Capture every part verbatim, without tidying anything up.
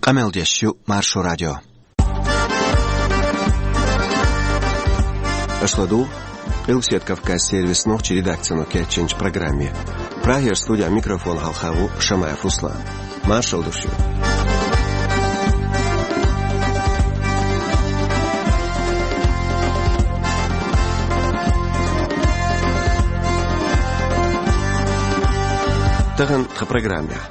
Къамел деш ю Маршо радио. Аша ладугӀу Къилбаседа Кавказан сервисан нохчийн редакцино кечйинчу программе. Прагера студехь микрофон хьалха ву Шамаев Руслан. Маршалла ду шуьга. Тахана тхан программехь.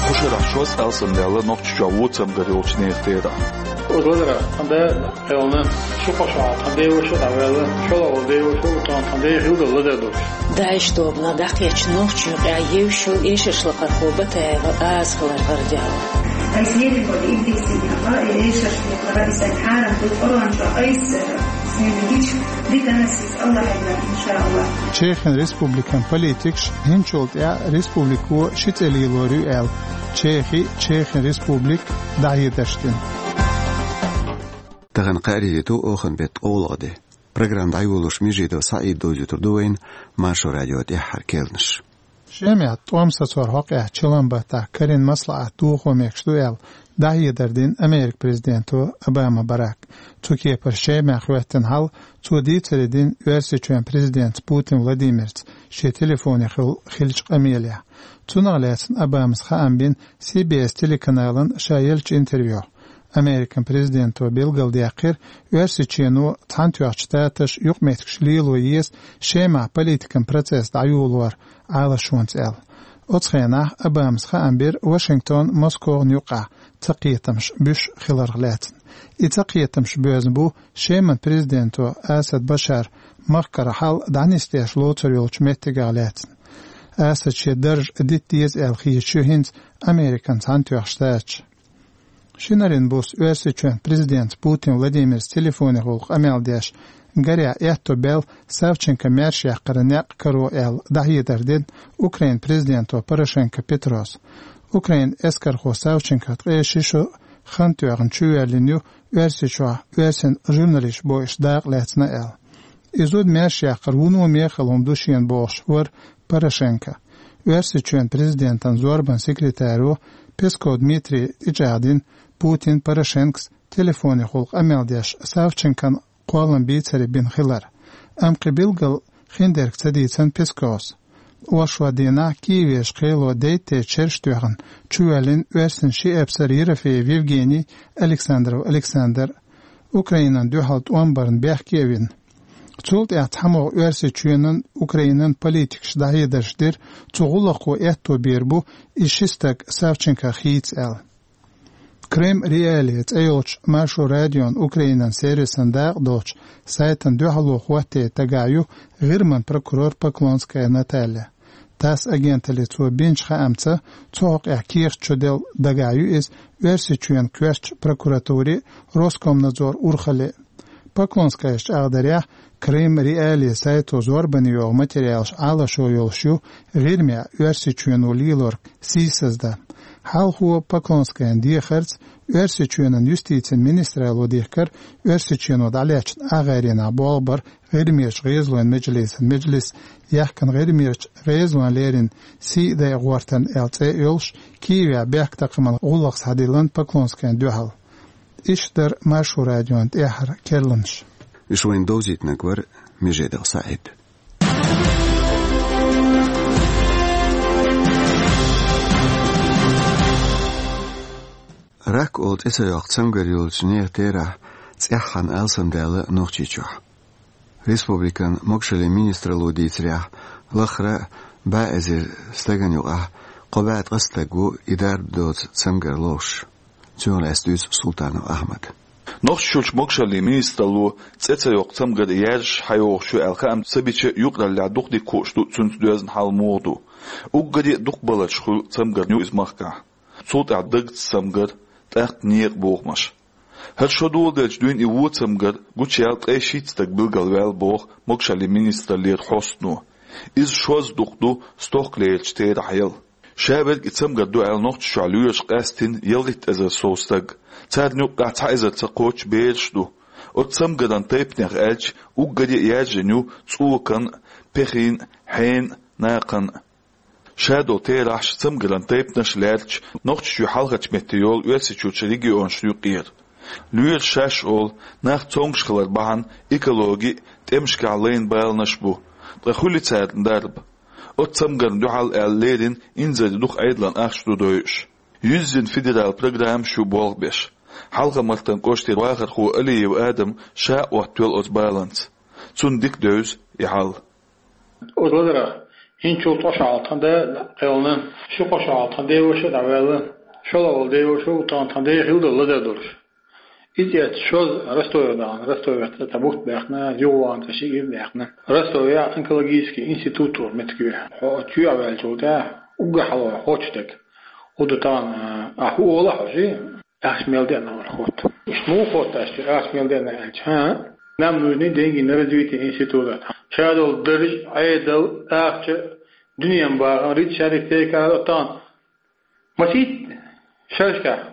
Кху шарахь шозза алсамдаьлла Нохчийчохь вон цамгар йолчу нехан терахь. Оцу лазарах тхан да кхелна, ши-кхо шо хьалха тхан деваша а дӀаваьлла, шолгӀа деваша а, тхан ден хилла ладар долуш. ДАИШ тобанах дӀакхеччина Нохчийчу юкъехь евзаш йолу эшаршлакхархо Батаева Аза хилар гӀарадаьлла. Айса лерина болу ибрисина, и эшаршлакхара, и сайн хьарам ду, Къуръан чохь айса, сайн гича, дика ас иза Аллахьан, иншааллахь. Чехийн республикан политикаш хӀинцачул тӀаьхьа республико ши цӀе лелор ю аьлла, Чехи, Чехийн республика дӀахьедарш дина. Тахана кхаарин де ду, оханан беттан ткъолгӀа де. Программа дӀайолош Межидов СаӀида довзуьйтур ду вайна Маршо радион тӀаьххьара керланаш. Шемахь тӀом сацоран хьокъехь чиллан баттахь карийна маслаӀат дохо мегаш ду аьлла, дӀахьедар дина Американ президенто Обама Барака. Цу кепара Шемахь хӀоьттина хьал цо дийцаре дина Оьрсийчоьнан президентаца Путин Владимирца шен телефонехула хиллачу къамелехь. Цунах лаьцна Обамас хаам бина Си Би Эс телеканална ша еллачу интервьюхь. Американ президенто билгалдаьккхира, Оьрсийчоьно Цхьаьнатоьхначу Штаташа юкъаметтигаш лело еза Шемахь политикан процесс дӀайолор Ӏалашонца аьлла. Оцу хенахь Обамас хаам бира Вашингтон, Москван юккъехь цакхетамаш буьсуш хиларх лаьцна. И цакхетамаш боьзна бу Шеман президенто Асад Башара махкара хьал дӀанисдеш лоцур йолчу меттигах лаьцна. Асада шен дарж дита деза аьлла хеташ ю хӀинца Американ Цхьаьнатоьхна Штаташ. Шинарин буса Оьрсийчоьнан президентаца Путин Владимирца телефонехула къамел деш, гарехь аьтто баьлла Савченкон маьрша яккхаран некъ каро аьлла, дӀахьедар дина Украинан президенто Порошенко Петрос. Украинан эскархо Савченко ткъе ши шо хан тоьхна чувоьллина ю Оьрсийчохь оьрсийн журналисташ бойуш дакъа лаьцна аьлла. И зуда маьрша яккхар вуно мехала хӀума ду шена бохуш вара Порошенко. Оьрсийчоьнан президентан зорбанан секретаро Песков Дмитрийс тӀечӀагӀдина Путин Порошенкос телефонехула къамел деш Савченкон кхоллам бийцаре бина хилар. Амма кхин билггал хиндерг ца дийцина Песковс. Оршот дийнахь Киевера кхело дейттей чергаш тоьхна чувоьллина оьрсийн ши эпсар Ерофеев Евгений, Александров Александр, Украинана дуьхьал тӀом барна бехке а вина. Цул тӀаьхьа цхьамогӀа Оьрсийчоьнан, Украинан политикаша дӀахьедарш дира, цу гӀуллакхо аьтто бийр бу и ши стаг Савченкох хийца аьлла. Крым Реалии цӀе йолчу Маршо радион Украинан сервисан дакъа долчу сайтана дуьхьало хӀоттае дагахь ю ГӀирман прокурор Поклонская Наталья. ТАСС агенталле цо бинчу хаамца, цу хьокъехь кехат чуделла дагахь ю иза Оьрсийчоьнан коьртачу прокуратуре а, Роскомнадзоран урхалле а. Поклонскайс чӀагӀдарехь, Крым Реалии сайто зорбане йогӀу материалаш Ӏалашо йолуш ю ГӀирмехь Оьрсийчоьно лелорг сийсаздан. Хьалхо Поклонскайна дехарца, Оьрсийчоьнан юстицин министралло дихкира Оьрсийчоьно дӀалечна агӀеренахь болх бар ГӀирмерчу гӀезалойн меджлисан меджлис, яхкина ГӀирмерчу гӀезалойн леррина сий а дайа гӀортарна аьлла цӀе а йолуш, Киевехь бехктакхаман гӀуллакх схьадиллина Поклонскайна дуьхьал. Иштта дара Маршо радион тӀаьххьара керланаш. Уьш вайна довзийтинарг вара Межидов СаӀид. Рак олу цӀе ца йоккху цамгар йолчу нехан терахь цӀеххьана алсамдаьлла Нохчийчохь. Республикан могашаллин министралло дийцарехь, лахара бӀе эзар стагана юкъахь кхо бӀе ткъа стаг ву и дарба доцу цамгар ловш. Цунах лаьцна дуьйцу Султанов Ахьмада. Нохчийчуьрчу могашаллин министралло цӀе ца йоккху цамгар яьржаш схьайогӀуш ю аьлла хаам ца бича, юкъараллехь дукха дика хууш ду цуьнца доьзна хьал муха ду. Уггаре а дукхахбаларш хуьлу цамгарна ю иза махкахь. Цул тӀаьхьа дагца цамгар, тӀаккха некъан бохамаш. ХӀара шо доладелча дуьйна и вон цамгар гучуяьлла ткъе шийтта стаг билгалваьлла, боху могашаллин министраллера хьостано. Иза шозза дукха ду стохкалерчу терахь яла. Ша верг и цамгар ду аьлла Нохчийчохь лоьраш къаьстина ялхитта эзар сов стаг. Царна юккъехь цхьа эзарца кхоччуш бераш а ду. Оцу цамгаран тайпанех аьлча, уггаре а яьржина ю цӀокан а, пехин а, хьенан а, накхан а. Шадолу терахьаш, цамгаран тайпанаш лаьрча, Нохчийчоь хьалхарчу метте йолу Оьрсийчуьрчу регионашна юкъера. Лоьраш шаьш олу, нах цомгуш хилар бахьана экологи а, тӀемашкахь лайна баланаш а бу. Ткъа хуьлу царна дарба? Оцу цамгарна дуьхьал аьлла леррина инзаре дукха Ӏедалан ахча ду дойуш. Юьззина федералан программаш ю болх беш. Хьалха-Мартан кӀоштара вахархо Алиев Адам ша а оттавелла оцу баланца. Цунна дика девза и хьал. Оцу лазарах хӀинцачул ткъа шо хьалха тхан да кхелхина, ши-кхо шо хьалха тхан деваша а дӀаваьлла, шолгӀа волу деваша а, тхан, тхан ден хилла долу лазар долуш. Иза эцна шозза Ростове дахана, Ростовехь цӀа тхан бутт баьхна, юхавахана цӀа шиъ а даьхна. Ростовехь онкологический институт олу меттиг ю. Хьо оцу чоьхьа ваьллачул тӀаьхьа уггар хьалха хӀотташ дерг хӀун ду тахана, ахь хӀун олу хьожий? Ахча мел деана вара хӀотта. Иштта муха хӀотта аьлча, ахча мел деана аьлча, хӀан? Нам нужны деньги на развитие института. Шадолу дарж а, Ӏедал а, ахча а, дуьненан бахам, риццариг тайкара а тахана. Масийтта шерашкахь,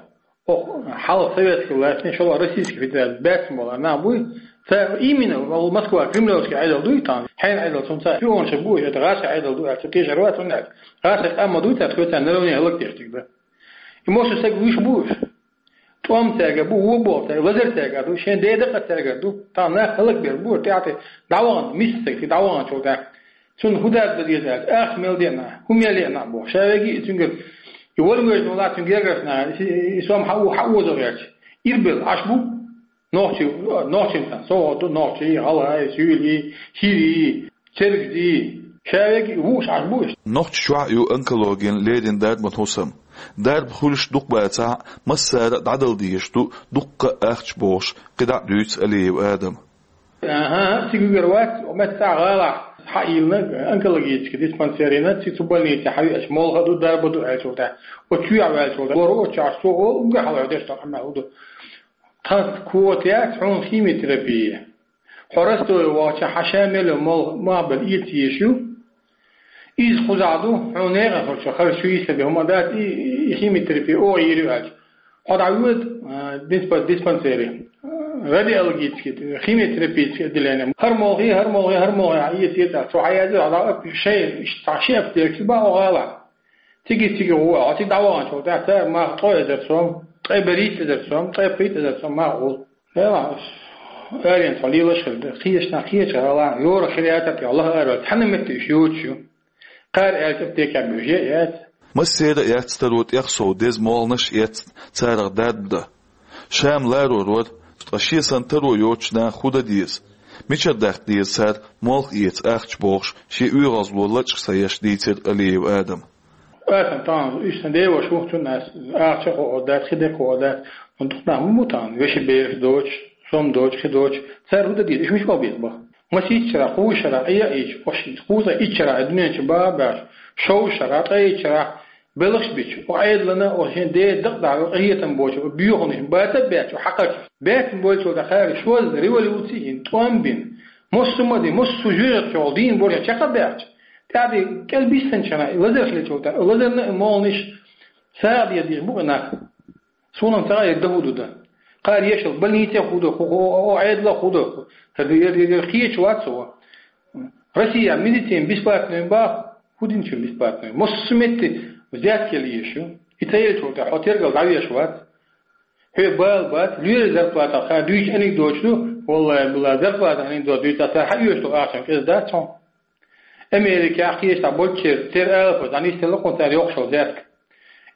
оха хьалха советский властийн, шолгӀа Российский Федерацин баьцна болу нах буй, цара именно вала Москва, кремлевский Ӏедал дуй тахана, хьенан Ӏедал, цунна цара шпионаш бу уьш, это гӀазкхийн Ӏедал ду аьлла, цу тешар вац хӀунда аьлча гӀазкхийн къам ма дуй цара, тхоьца народ хӀаллакдеш дерг ду. И массо а стаг вуьйш бу уьш. ТӀом цаьрга бу, вон болу цаьрга, лазар цаьрга ду, шен ден дакъа цаьрга ду. Тахана нах хӀаллакбер бу, тӀаьхьа дӀавахана, миска стаг, шен дӀаваханачул тӀаьхьа. Цунна хӀун дада дан деза аьлча, ахча мел деана, хӀун мел еана боху. Ша веги и цуьнгара, и вара вежна вала цуьнан гергарчу наха, и, и сом хьа-, хьаозо гӀерташ. Ирбелла Ӏаш бу, нохчий, нохчийн цхьана совгӀат ду, нохчий, гӀалгӀай, суьйлий, хӀирий, цергзий, ша веги вуьйш Ӏаш бу уьш. Нохчийчохь а ю онкологина леррина дарбан хӀусам. Дарба хуьлуш дукха бацахь а, массара а дӀадала дезаш ду дуккха а ахча бохуш, кхидӀа а дуьйцу Алиев Адама. АхӀа, цига вигар вац, оцу меттехь гӀалахь схьайиллина онкологический диспансер йина, цига цу больнице хьан веача, молха а ду, дарба а ду аьллачул тӀаьхьа. Оцу чоьхьа ваьллачул тӀаьхьа, вара оцу чохь со олу, уггар хьалха деш долу къамел хӀун ду. Тхан квота яц хьуна химиотерапия. Хьо Ростове вахча, хьан ша мел йолу молха мах бен эца езаш ю. Иза кхузахь ду, хьуна нехан хӀорш харш ю, йисте бен хӀума дац, и, и, и химиотерапия оха йийр ю аьлча. Хьо дӀавоьду, а, диспа-, диспансере, а, радиологический, химиотерапевтический отделение. ХӀара молхий, хӀара молхий, хӀара молхий, хьан эца, эца, цо хьан яздира, хьо дӀа а, шайн, иштта цхьа ши аптека бан оха гӀала. Цига, цига гӀо, хьо цига дӀаваханчул тӀаьхьа цара мах ткъе эзар сом, ткъе берхӀитта эзар сом, ткъе пхийтта эзар сом мах гӀо. Эла, аренца хьо лелаш хир ду. Кхечанхьа, кхечу гӀала, йора хир яцара, лаха ара, цхьана метте уьш йоцуш ю. Кхара аьлча, аптекехь буьйш яц. Массера а яц таро тӀех сов деза молханаш а эцна, царах дарба дан. Ша-м ларор вара, ткъа шен санна таро йоцучу наха хӀун дан деза? Мичара даккха деза цара молха эца ахча бохуш, шен оьгӀазло лачкъа ца еш дийцира Алиев Адама. Аса тахана, уьш сан деваш ву, цунна ас ахча а хуур дац, хи дерг а хуур дац. Амма дукха нах ма бу тахана, вешин бераш доцуш, сом доцуш, хи доцуш. Цара хӀун дан деза? Уьш мича боху беза баха? Масийтта шарахь, кхуза шарахь, Ӏе а ийча, ош кхуза итт шарахь, дуьнен чу баха а баьхча, шовзткъа шарахь, ткъе итт шарахь, белхаш бича, оха Ӏедална, оха шен ден дакъа дахьа, къинхетам боцу, боьхалш баца а баьча, хьакхарча. Баьцна болчул тӀаьхьа шозза революци йина, тӀом бина, массо а ма дина, массо а жоьжахати чохь дийна болчарна чекх а баьхча, тӀаьхьа кӀел биссинчу шарахь, лазар хилчул тӀаьхьа, лазарна а молханаш сагӀа деза дийш бу и нах. Суна-м ца хаьа, дан хӀун ду дан. Кхара ешал больнице хӀун ду, хӀу-, хӀу-, хӀу-, Ӏедале хӀун ду. Хьан ду, ер, ер, ер кхеча вац хьо. Россия медицина бесплатная баха, хӀун динчу бесплатная? Массо а метте взятка ела езаш ю. И ца елчул тӀаьхьа хьо тергал дӀавеш вац. Хьоьга бала бац, лоьрийн зарплата кхара дуьйцу анекдоташ ду, валлахӀи, биллахӀи, зарплата анекдот дуьйцахь, цара хьаоьцуш долу ахчанаш кӀеза дац хьуна. Америкехь, кхечахь болчеран, церан алапа, дӀанисделла кхунна цара йоккхуш йолу взятка.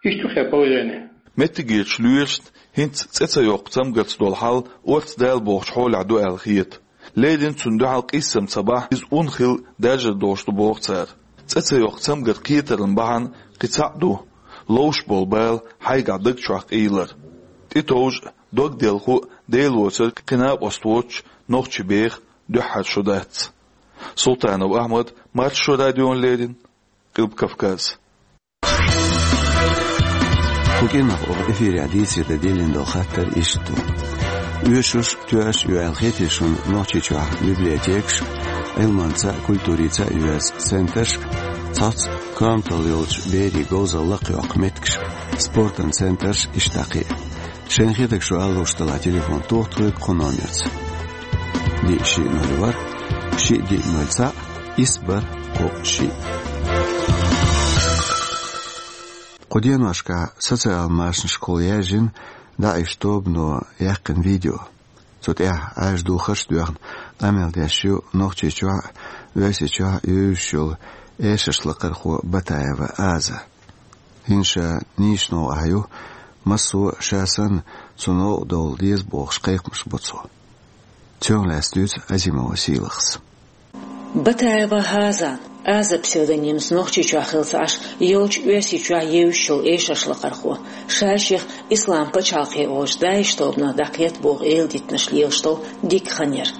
Иштта ю хӀара положение. Меттигерчу лоьрашна хӀинца цӀе ца йоккху цамгарца долу хьал орца дала бохучу хьолехь ду аьлла хета. Леррина цунна дуьхьал къийсам ца бахь, иза ун хилла даьржар долуш ду боху цара. ЦӀе ца йоккху цамгар кхетаран бахьана кхин цхьаъ ду: ловш болу бала хьайгахь даг чохь къийлар. ТӀетовжа а, дог делхо а Дела воцург кхин накъост воцуш нохчи беха дуьххьара шо дац. Султанов Ахьмад, Маршо радиона леррина, Къилба Кавказ. Кху кӀиранах оха эфирехь дийцаре дан диллина долу хаттар иштта ду. Оьшуш, тоьаш а ю аьлла хетий шуна Нохчийчохь библиотекаш, Ӏилманца а, культурица а йоьзна центраш, цхьацца корматалла йолчу берийн говзалла лакхайоккху меттигаш, спортан центраш, иштта дӀа кхин а? Шайна хетарг шу ала лууш делахь, телефон тоха тхоьга кху номерца: диъ, шиъ, ноль, ворхӀ, шиъ, диъ, ноль, цхьаъ, исс, бархӀ, кхоъ, шиъ. Кху деношкахь социал машанашкахула яьржина ДАИШ тобано яьккхина видео. Цу тӀехь Ӏаьржа духарш а доьхна, къамел деш ю Нохчийчохь а, Оьрсийчохь а евзаш йолу эшаршлакхархо Батаева Аза. ХӀинца ша нийсачу новкъахь ю, массо а ша санна цу новкъа довла деза бохуш кхайкхамаш бо цо. Цунах лаьцна дуьйцу Азимова Сийлахьас. Батаева Аза, Аза псевдонимца Нохчийчохь хилла ца Ӏаш, йолчу Оьрсийчохь евзаш йолу эшаршлакхархо, ша шех Ислам пачхьалкхе олучу ДАИШ тобанах дӀакхетта боху эладитанаш лелаш долу дика хан яра.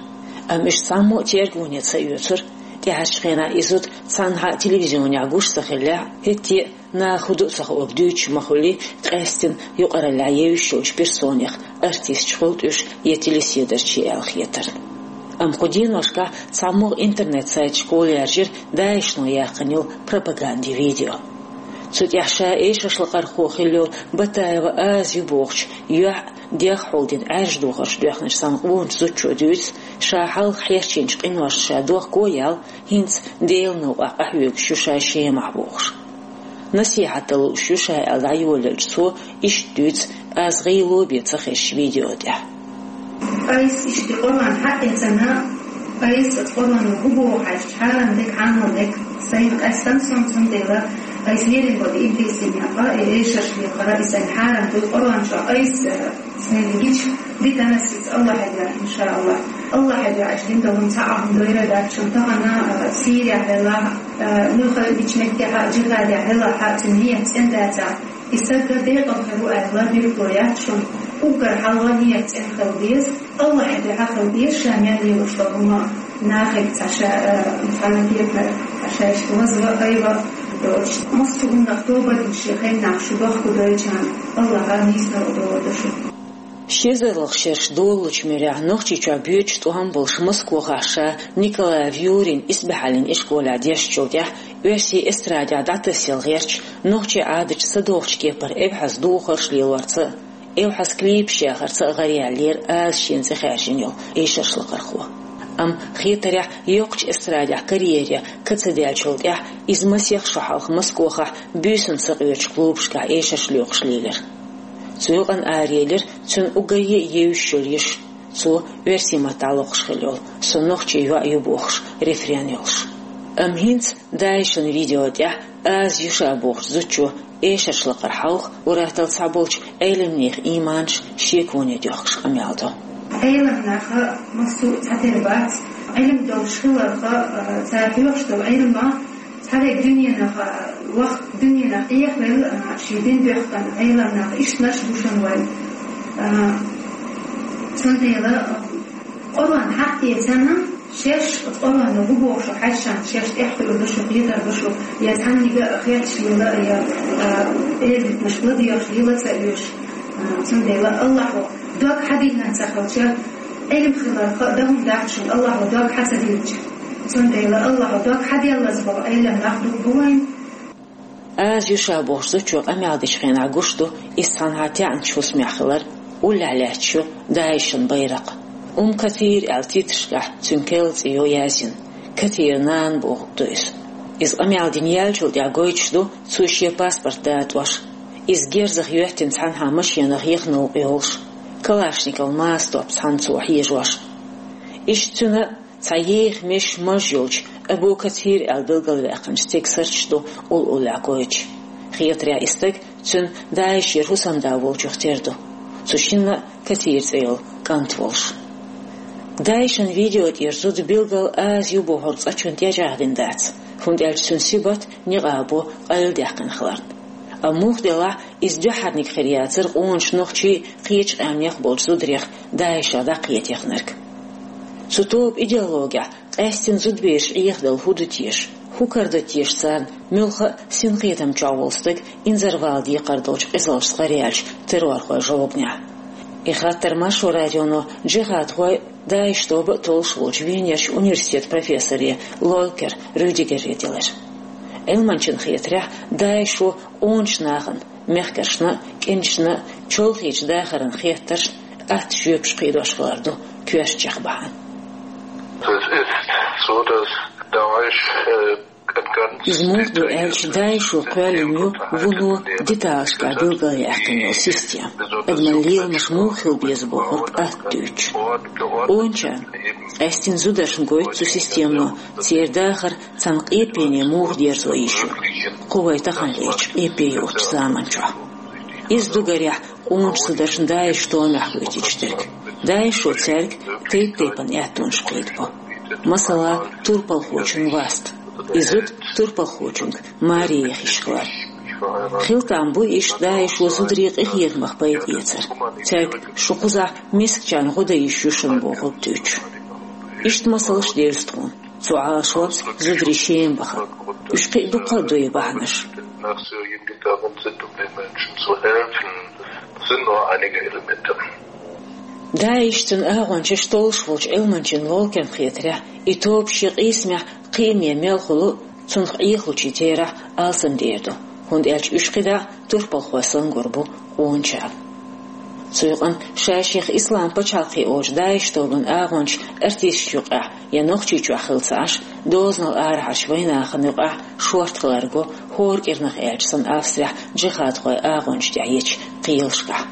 Амма уьш цхьаммо а тергоне ца оьцура, тӀаьхьарчу хенахь и зуда цхьанхьа а телевизионехь гуш ца хиллехь а, хӀетте а наха хӀун ду а ца хуург дуьйцуш ма хуьллий, къаьстина юкъараллехь евзаш йолчу персонех, артисташ хуьлу-кх уьш я телеседарчий аьлла хетарна. Амма кху деношкахь цхьаммо а интернет-сайташкахула яьржира ДАИШано яьккхина йолу пропагандин видео. Цу тӀехь ша эшаршлакхархо хилла йолу Батаева Аза ю бохучу, юьхь а, дегӀ а хьулдина Ӏаьржа духарш доьхначу цхьана къоначу зудчо дуьйцу, ша хьалха хьерчийначу къиношна ша дохко а яьлла, хӀинца Делан новкъахь къахьоьгуш ю ша Шемахь бохуш. Насихьат дан лууш ю ша аьлла дӀайолаелча, цо иштта дуьйцу Аза гӀийла бен ца хезчу видео тӀехь. Айса иштта Къуръан хьаэцна, айса оцу Къуръано хӀун боху хьаьжча, хьарам дерг, хьанал дерг сайна къаьстина суна, цундела айса лерина болу иблисийн некъа, и эшаршлакхара, и сайна хьарам ду, Къуръан чохь айса сайна гича, дитанас иза Аллахье дуьхьа, иншааллахь. Аллахье дуьхьа, аша дин долу цхьа а хӀума дойра дац шуна, тахана, а, Сирехь велахь а, а, муьлхха а меттехь а, джихадехь велахь а, цуьнан ният цӀена дацахь, и стаг декъала хир ву аьлла, билгало яц шуна. Уггар хьалха ният цӀена хила деза, Аллахье дуьхьа хила деза, ша мел лелош долу хӀума нахе цхьа ша, а, цхьана кепара, цхьа шайшка вазва, айва доцуш. Массо а хӀуманах тоба дина шен хеннахь шу дохкуьйтуш долчарна Аллахьа нийсонаш а долур ду шу. Ши эзарлагӀа шераш долалучу муьрехь Нохчийчохь боьдуш тӀом болуш Москвахь ша Николай Вьюрин исбаьхьаллин ишколехь дешначул тӀаьхьа оьрсийн эстрадехь дӀатасъяла гӀерташ, нохчийн Ӏадатца ца догӀучу кепара эвхьаза духарш лелорца а, эвхьаза клипаш яхарца а гӀараяьллера Аза шена цӀе хаьржина йолу эшаршлакхархо. Амма хетарехь, йоккхачу эстрадехь карьере ка ца даьллачул тӀаьхьа иза масех шо хьалха Москвахь буьйсанна сакъоьручу клубашкахь эшарш лоькхуш лелира. Цу юкъана араелира цуьнан уггар а евзаш йолу йиш, цо оьрсийн маттахь локхуш хилла йолу «Со нохчийн йоӀ ю» бохуш рефрен йолуш. Амма хӀинца ДАИШан видео тӀехь Аза ю ша бохучу зудчо эшаршлакхара хьалха ур-атталла цхьаболчу Ӏеламнехан ийманаш шеконе доьхкуш къамел до. Ӏеламнах массо а цхьатера бац. Ӏилма долуш хиларх, а, цара хьоьхуш долу Ӏилма цхьаверг дуьненах, а, ваха, дуьненах Ӏехавелла, а, шен дин доьхкина Ӏеламнах ишттанаш бу шуна вайн. А, цундела, а, Къуръан хьаэцна, шаьш оцу Къуръано хӀун боху шу хьаьжча, шаьш тӀаьхьа хуьлур ду шу, кхетар ду шу, я цхьаннега а хетташ лела, я, а, эладитанаш ладоьгӀуш лела ца оьшу. А, цундела Аллахьо дог хьадиллина ца хилча, Ӏилма хиларх а дан хӀума дац шуна, Аллахьо дог хьа ца диллича. Цундела Аллахьо дог хьаделлаза болу Ӏеламнах дукха бу вайн. Аза ю ша бохучу зудчо къамел дечу хенахь гуш ду, иза цхьанхьа таьӀначу хӀусамехь хилар, уллехь лаьтташ ю ДАИШан байракх. «Умм Катир» аьлла титрашкахь цуьнан керла цӀе йо яздина, Катиран нана бохург ду иза. Иза къамел дина яьллачул тӀаьхьа гойтуш ду цо шен паспорт датӀош. Иза герзах йоьттина цхьанхьа машенах яха новкъа йолуш, калашников маса топ цхьаьна цо хьежош. Иштта цуьнан цхьа еха меш маж йолчу Абу Катир аьлла билгалваьккхинчу стеган сурташ ду уллохь гойтуш. Хетарехь, и стаг цуьнан ДАИШера хӀусамда волчух тера ду. Цу шинна а Катир цӀе йолу кӀант волуш. ДАИШан видео тӀера зуда билггал Аза ю бохург цкъа чунна тӀечӀагӀдина дац, хӀунда аьлча цуьнан сибат, никъабо къайладаьккхина хиларна. Амма муха делахь, иза дуьххьарниг хир яцара къоначу нохчийн, кхечу къаьмнех болчу зударех ДАИШах дӀакхетаяхнарг. Цу тоба идеологехь къаьстина зудабераш Ӏехадала хӀун ду теша, хӀун карадо теша царна, муьлхха а синкхетам чохь волу стаг инзарвала декхар долчу къизаллашца гӀараяьллачу террорхойн жовханехь? И хаттар Маршо радионо джихадхой, ДАИШ тоба а толлуш волчу Венерчу университетан профессоре Лолькер Рюдигере делира. Ӏилманчана хетарехь, ДАИШо къоначу нахана, мехкаршна а, кӀенташна а чолхечу дахаран хеттаршна атта жоьпаш кхийдош хилар ду коьрта чекх бахьана. Das ist so, dass Daesh, äh, Иза муха ду аьлча, ДАИШ-о кхоьллина ю вуно деталашкахь билгалъяьккхина йолу система. Адаман леламаш муха хила беза бохург атта дуьйцуш. Къоначарна, къаьсттина зударшна гойту цу системано, церан дахар цхьана къепене муха дерзо йиш ю кху вай таханлерчу къепе йоцучу заманчохь. Иза ду, гарехь, къоначу зударшна ДАИШ томехь гойтуш дерг. ДАИШ-о цаьрга тайп-тайпана аьттонаш кхийдабо. Масала, турпалхочун васт. И зуда турпалхочуьнга маре яха йиш хилар. Хила там бу иштта ДАИШ-о зударийн къинхетамах пайда эцар. Цаьрга шу кхузахь мискачарна гӀо дан йиш ю шуна бохург дуьйцуш. Иштта масалш девза тхуна. Цу Ӏалашонца зударий Шема бахар. Уьш кхин а дуккха а ду и бахьанаш. ДАИШ, цуьнан агӀончаш толлуш волчу Ӏилманчин лолкарна хетарехь, и тоба шен къийсамехь кхиаме мел хуьлу, цунах Ӏехалучийн терахь алсамдер ду, хӀунда аьлча уьш кхидӀа турпалхой санна гур бу къоначарна. Цу юкъана ша-шех Ислам пачхьалкхе олучу ДАИШ тобанан агӀончаш артисташна юкъахь я Нохчийчохь хилла ца Ӏаш, дозанал арахьарчу вайнахана юкъахь шорта хилар го, хӀора кӀирнах аьлча санна Австрехь джихадхойн агӀончаш тӀехь ечу кхелашкахь.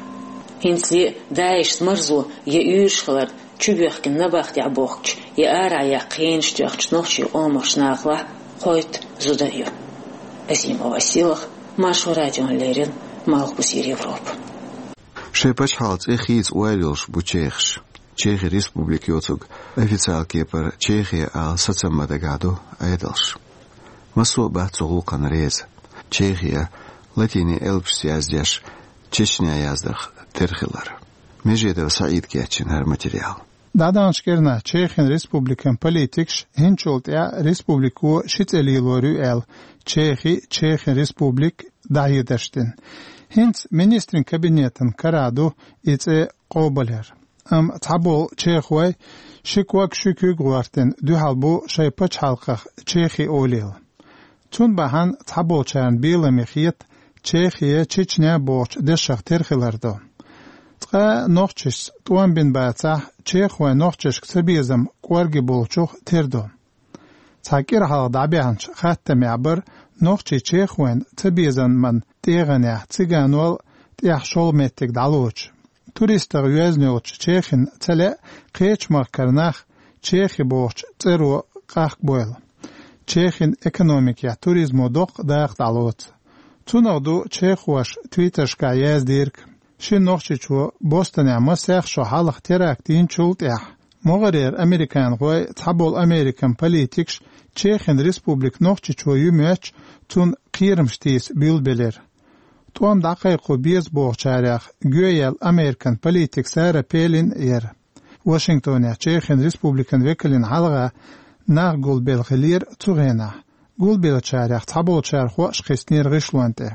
ХӀинцале а ДАИШ-ца марзо я уьйраш хиларна чубоьхкина набахтехь бохкучу я арахь яккха хенаш тоьхначу нохчийн къомах нахалахь кхойтта зуда а ю. Азимова Силах, Маршо радиона леррина, Малхбузера Европа. Шайн пачхьалкхан цӀе хийца ойла йолуш бу чехаш. Чехин республика йоцург официалан кепара Чехия ала сацам ма дагахь ду Ӏедалш. Массо а бац цу гӀуллакхана реза. Чехия латинийн элпашца яздеш, Чечня яздарх тера хилар. Межедов СаӀида кечйина хӀара материал. ДӀадаханчу кӀирнахь Чехин республикан политикаш хӀинцачул тӀаьхьа республико ши цӀе лелор ю аьлла, Чехи, Чехин республика дӀахьедарш дина. ХӀинца министрийн кабинетан карахь ду и цӀе къобалъяр. Амма цхьаболу чехой ши ког, ши куьг гӀортийна дуьхьал бу шайн пачхьалкхах Чехи олийла. Цунна бахьана цхьаболчарна беламе хета Чехия, Чечня бохучу дешах тера хилар ду. Цкъа а нохчашца тӀом бина бацахь, чехойн нохчашка цабезам кӀорге болчух тера ду. Цхьа кӀира хьалха дӀабаьхьначу хаттамехь бара нохчий чехойн цабезаман тӀегӀанехь циганол тӀехь шолгӀа меттиг дӀалоцуш. Туристах йоьзна йолчу Чехина ца лаьа кхечу махкара нах Чехи бохучу цӀеро къахкабойла. Чехин экономикехь туризмо доккха дакъа дӀалоцу. Цунах ду чехоша твиттершкахь яздийриг. Шина нохчичо Бостонехь масех шо хьалха теракт йинчул тӀаьхьа могӀарера американхой, цхьаболу Американ политикаш Чехин республика нохчичо ю моьттуш, цунна кхерамаш тийса буьйлабелира. ТӀом дӀакхайкхо беза бохучарех гоьяьлла Американ политик Сара Пелин яра. Вашингтонехь Чехин республикан векалан хьалха нах гулбелла хиллера цу хенахь. Гулбеллачарех цхьаболчара хӀоаш кхиссинера гӀишлон тӀе.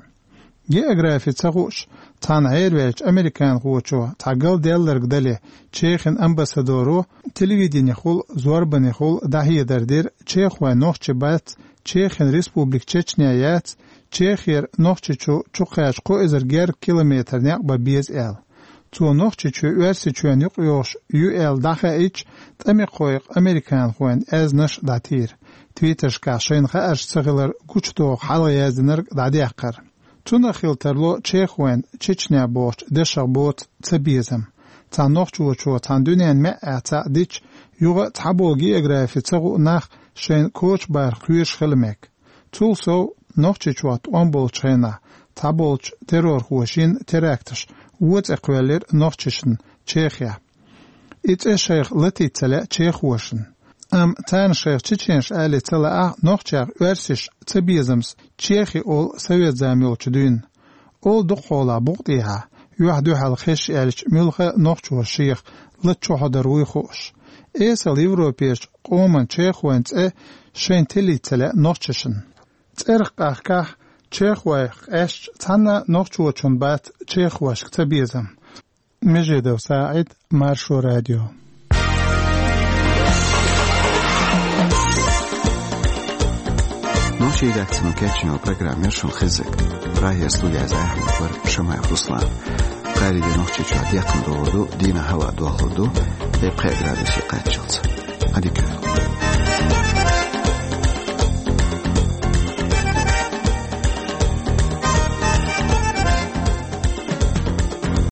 Географи ца хууш, цхьана хьерваьллачу американхочо цхьа галдаьлларг дале, Чехин амбассадоро телевиденехула, зорбанехула дӀахьедар дира, чехой нохчий бац, Чехин республика Чечня яц, Чехера Нохчийчу чукхаьчча кхо эзар гергга километр некъ бан беза аьлла. Цо Нохчийчоь Оьрсийчоьнна юкъайогӀуш ю аьлла дӀахаийча, тӀамехойх американхойн аьзнаш дӀатийра. Твиттершкахь шайна хаарш ца хилар гучудоху хьалха яздинарг дӀадаьккхира. Цунах хила тарло чехойн Чечня бохучу дешах боцу цабезам. Цхьана нохчочо цхьана дуьненан маьӀӀехь цхьаъ дича, юха а цхьаболу географи ца хуу нах шайна коча барх кхоьруш хила мега. Цул сов, Нохчийчохь тӀом болчу хенахь цхьаболчу террорхоша йина теракташ вон цӀе кхоьллира нохчашна Чехехь. И цӀе шайх латийта ца лаьа чехошна. Амма царна шайх чеченаш алий ца лаахь, нохчех оьрсаша цабезамца чехи олу совет зама йолчу дуьйна. Олу дукхахьолахь букъа тӀехьа, юьхь-дуьхьал хезча аьлча, муьлхха а нохчо шех лата чохь дар вуй хууш. Эсала европерчу къоман чехойн цӀе шайна тиллийта ца лаьа нохчашна. ЦӀерах къахкахь, чехойх къаьстча, цхьанна а нохчочунна бац чехошка цабезам. Межедов СаӀид, Маршо радио. Нохчийн редакцино кечйина программа яра шуна хезнарг. Прагера студехь Ахьмад вара, Шамаев Руслан. Кхаарин де Нохчийчохь декхна догӀур ду, дийнахь хӀаваъ дохлур ду, тӀе пхеа градусе кхаччалц. Ӏадика йойла.